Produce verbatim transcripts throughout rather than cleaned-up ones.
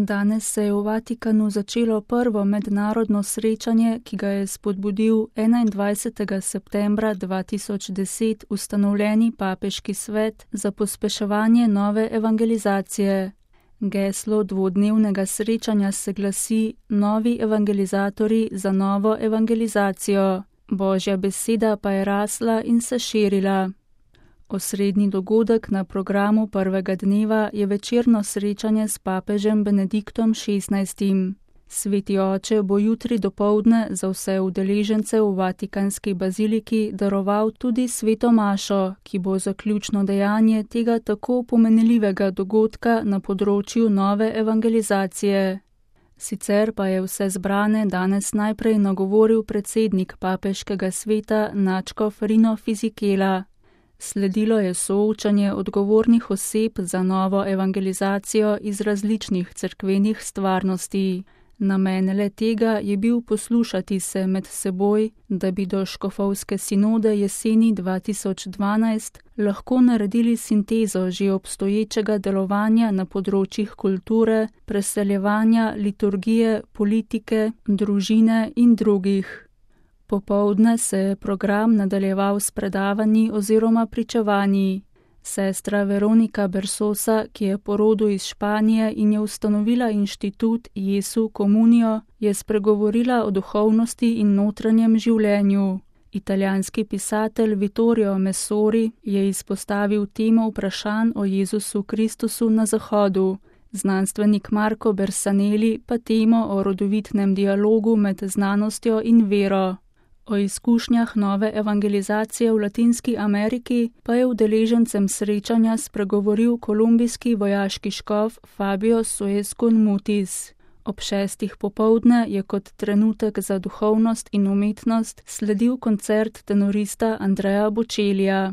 Danes se je v Vatikanu začelo prvo mednarodno srečanje, ki ga je spodbudil enaindvajsetega septembra dva tisoč deset ustanovljeni papeški svet za pospeševanje nove evangelizacije. Geslo dvodnevnega srečanja se glasi Novi evangelizatorji za novo evangelizacijo. Božja beseda pa je rasla in se širila. Osrednji dogodek na programu prvega dneva je večerno srečanje s papežem Benediktom šestnajstim. Sveti oče bo jutri dopoldne za vse udeležence v Vatikanski baziliki daroval tudi sveto mašo, ki bo zaključno dejanje tega tako pomenljivega dogodka na področju nove evangelizacije. Sicer pa je vse zbrane danes najprej nagovoril predsednik papeškega sveta nadškof Rino Fisichella. Sledilo je soočanje odgovornih oseb za novo evangelizacijo iz različnih cerkvenih stvarnosti. Namen le tega je bil poslušati se med seboj, da bi do škofovske sinode jeseni dva tisoč dvanajst lahko naredili sintezo že obstoječega delovanja na področjih kulture, preseljevanja, liturgije, politike, družine in drugih. Popoldne se je program nadaljeval s predavanji oziroma pričevanji. Sestra Veronika Bersosa, ki je po rodu iz Španije in je ustanovila inštitut Jesu Komunijo, je spregovorila o duhovnosti in notranjem življenju. Italijanski pisatelj Vittorio Messori je izpostavil temo vprašanj o Jezusu Kristusu na Zahodu. Znanstvenik Marco Bersanelli pa temo o rodovitnem dialogu med znanostjo in vero. O izkušnjah nove evangelizacije v Latinski Ameriki pa je udeležencem srečanja spregovoril kolumbijski vojaški škof Fabio Soescun Mutis. Ob šestih popoldne je kot trenutek za duhovnost in umetnost sledil koncert tenorista Andrea Bocellija.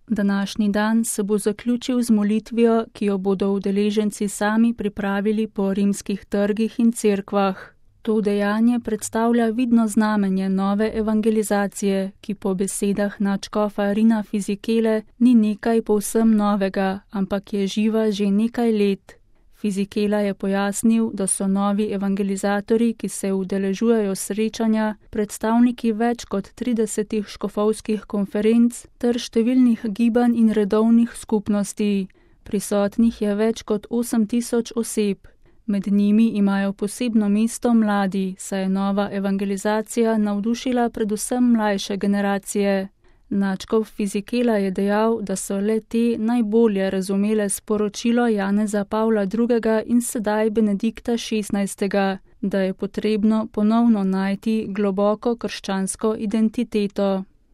Današnji dan se bo zaključil z molitvijo, ki jo bodo udeleženci sami pripravili po rimskih trgih in cerkvah. To dejanje predstavlja vidno znamenje nove evangelizacije, ki po besedah nadškofa Rina Fisichelle ni nekaj povsem novega, ampak je živa že nekaj let. Fisichella je pojasnil, da so novi evangelizatorji, ki se udeležujejo srečanja, predstavniki več kot tridesetih škofovskih konferenc ter številnih gibanj in redovnih skupnosti. Prisotnih je več kot osem tisoč oseb. Med njimi imajo posebno mesto mladi, saj je nova evangelizacija navdušila predvsem mlajše generacije. Nadškof Fisichella je dejal, da so le te najbolje razumele sporočilo Janeza Pavla drugega in sedaj Benedikta šestnajstega, da je potrebno ponovno najti globoko krščansko identiteto.